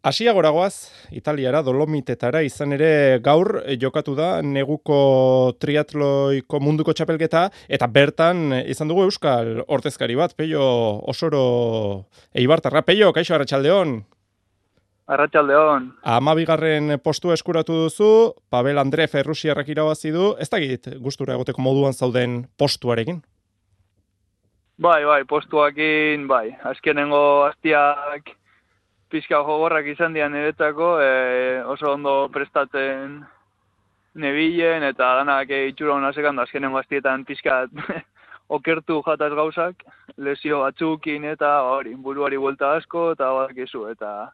Asiagoragoaz, Italiara, Dolomitetara, izan ere gaur jokatu da neguko triatloiko munduko txapelketa, eta bertan izan dugu euskal ordezkari bat, Pello Osoro Eibartarra. Pello, kaixo, arratsaldeon. Arratsaldeon. 12. postua eskuratu duzu, Pavel Andreev errusiarrak irabazi du, ez dakit gustura egoteko moduan zauden postuarekin? Bai, postuakin, azkenengo hastiak pixka jogorrak izan dian niretzako, oso ondo prestatzen nebilen, eta danak itxura hona sekandu azkenengo hastietan pixka okertu jataz gauzak, lesio batzukin eta buruari buelta asko, eta badakizu, eta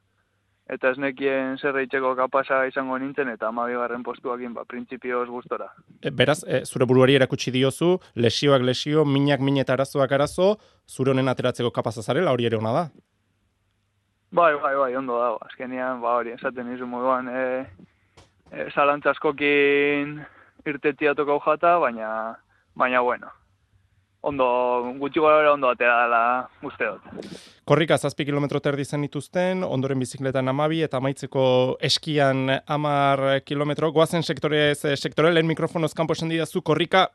ez nekien zer eitzeko kapasa izango nintzen, eta 12. postuakin, printzipioz gustora. Beraz, zure buruari erakutsi diozu, lesioak lesio, minak eta arazoak arazo, zure honen ateratzeko kapasa zarela, hori ere ona da? Bai, ondo dago. Azkenean, esaten nizu moduan, zalantza askokin irtetia tokau jata, baina bueno. Gutxi gara ondo atera dela uste dut. Korrika 7 kilometro terdi zen dituzten, ondoren bizikletan 12 eta amaitzeko eskian 10 kilometro. Goazen sektore, lehen mikrofonoz kanpo esan didazu, korrika,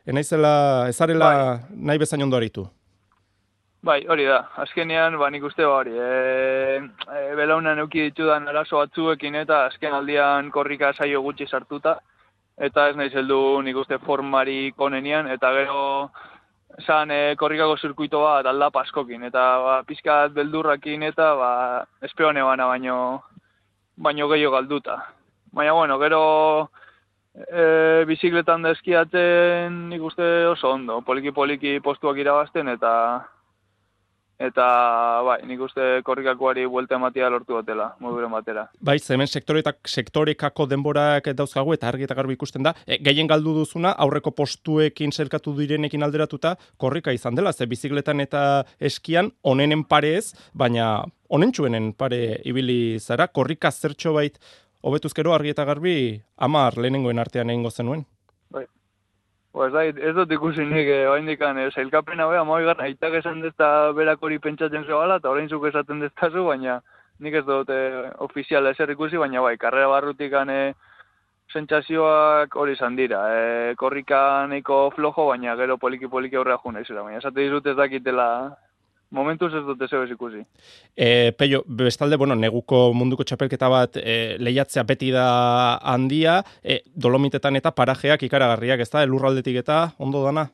ezarela nahi bezain ondo aritu. Bai, hori da. Azkenean, nik uste hori. Belaunan euki ditudan arazo batzuekin eta azken aldian korrika saio gutxi sartuta. Eta ez nahi zeldu nik uste formarik onenian. Eta gero zan korrikako zirkuito bat aldap askokin. Eta pizkat beldurrakin eta espeone bana baino gehiago galduta. Baina bueno, gero bizikletan da eskiatzen nik uste oso ondo. Poliki postuak irabazten eta nik uste korrikakoari buelta ematea lortu dutela, moduren batera. Bai, hemen sektorekako denborak dauzkagu eta argi eta garbi ikusten da. Gehien galdu duzuna, aurreko postuekin zelkatu direnekin alderatuta, korrika izan dela, ze bizikletan eta eskian onenen pare ez, baina onentsuenen pare ibili zara, korrika zertxo bait hobetuzkero argi eta garbi 10 lehenengoen artean egingo zenuen. Ez dut ikusi nik oaindikan zailkapena beha, 12. aitak esan dezta berak hori pentsatzen zebala, eta orain zuk esaten deztazu, baina nik ez dut ofiziala ezer ikusi, baina karrera barrutikan sentsazioak hori izan dira. Korrika nahiko flojo, baina gero poliki aurrea juna izura, baina esate dizut ez dakitela, momentuz ez dut ez ikusi. Pello, bestalde, neguko munduko txapelketa bat lehiatzea beti da handia, Dolomitetan eta parajeak ikaragarriak, ez da, lurraldetik eta ondo dana?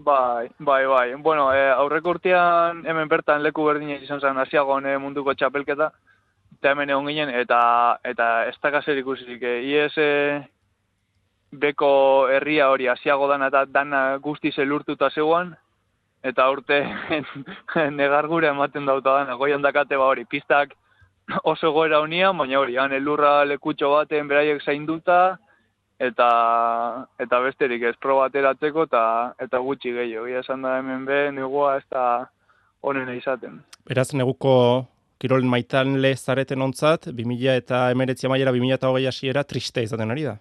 Bai. Bueno, aurreko urtean hemen bertan leku berdina izan zen Asiagon munduko txapelketa, eta hemen egon ginen, eta ez dakazer ikusik. IES beko herria hori Asiago dana eta dana guztiz elurtuta zeuan, eta urte negargura ematen dauta dana, goian dakate hori, pistak oso goera honia, baina hori, han elurra lekutxo baten beraiek zainduta, eta besterik ez proba ateratzeko, eta gutxi gehiago. Esan da hemen negua ez da honena izaten. Beraz, neguko kirol maitanle zareten ontzat, 2019 amaiera, 2020 hasiera triste izaten ari da.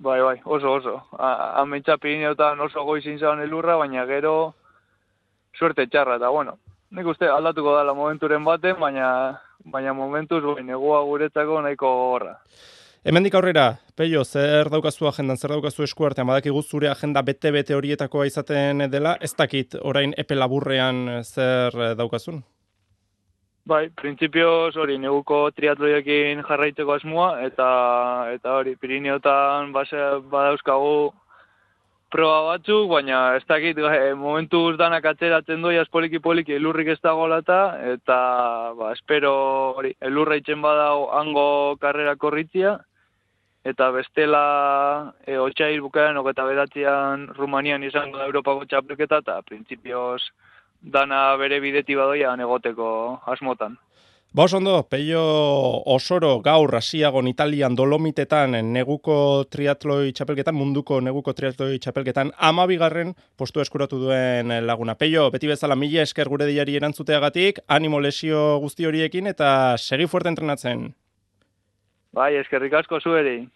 Bai, oso. Amentsa Pirineotan oso goizin zaban elurra, baina gero suerte txarra, eta bueno, nik uste aldatuko dela momenturen baten, baina momentuz negua guretzako nahiko gogorra. Hemendik aurrera, Pello, zer daukazu agendan, zer daukazu eskuartean, badakigu zure agenda bete horietakoa izaten dela, ez dakit orain epe laburrean zer daukazun? Bai, printzipioz hori neguko triatloiekin jarraitzeko asmoa, eta hori Pirineotan badauzkagu proba batzuk, baina ez dakit momentuz danak atzeratzen doiaz poliki elurrik ez dagolata, eta espero hori elurra itzen badau hango karrera korritzia, eta bestela otsail bukaeran 29an Rumanian izango da Europako txapelketa, eta printzipioz dana bere bideti badoian egoteko asmotan. Ondo, Pello Osoro gaur Asiagon Italian Dolomitetan neguko triatloi txapelketan, munduko neguko triatloi txapelketan 12. postua eskuratu duen laguna. Pello, beti bezala mila esker gure diari erantzuteagatik, animo lesio guzti horiekin eta segi fuerte entrenatzen. Bai, eskerrik asko zueri.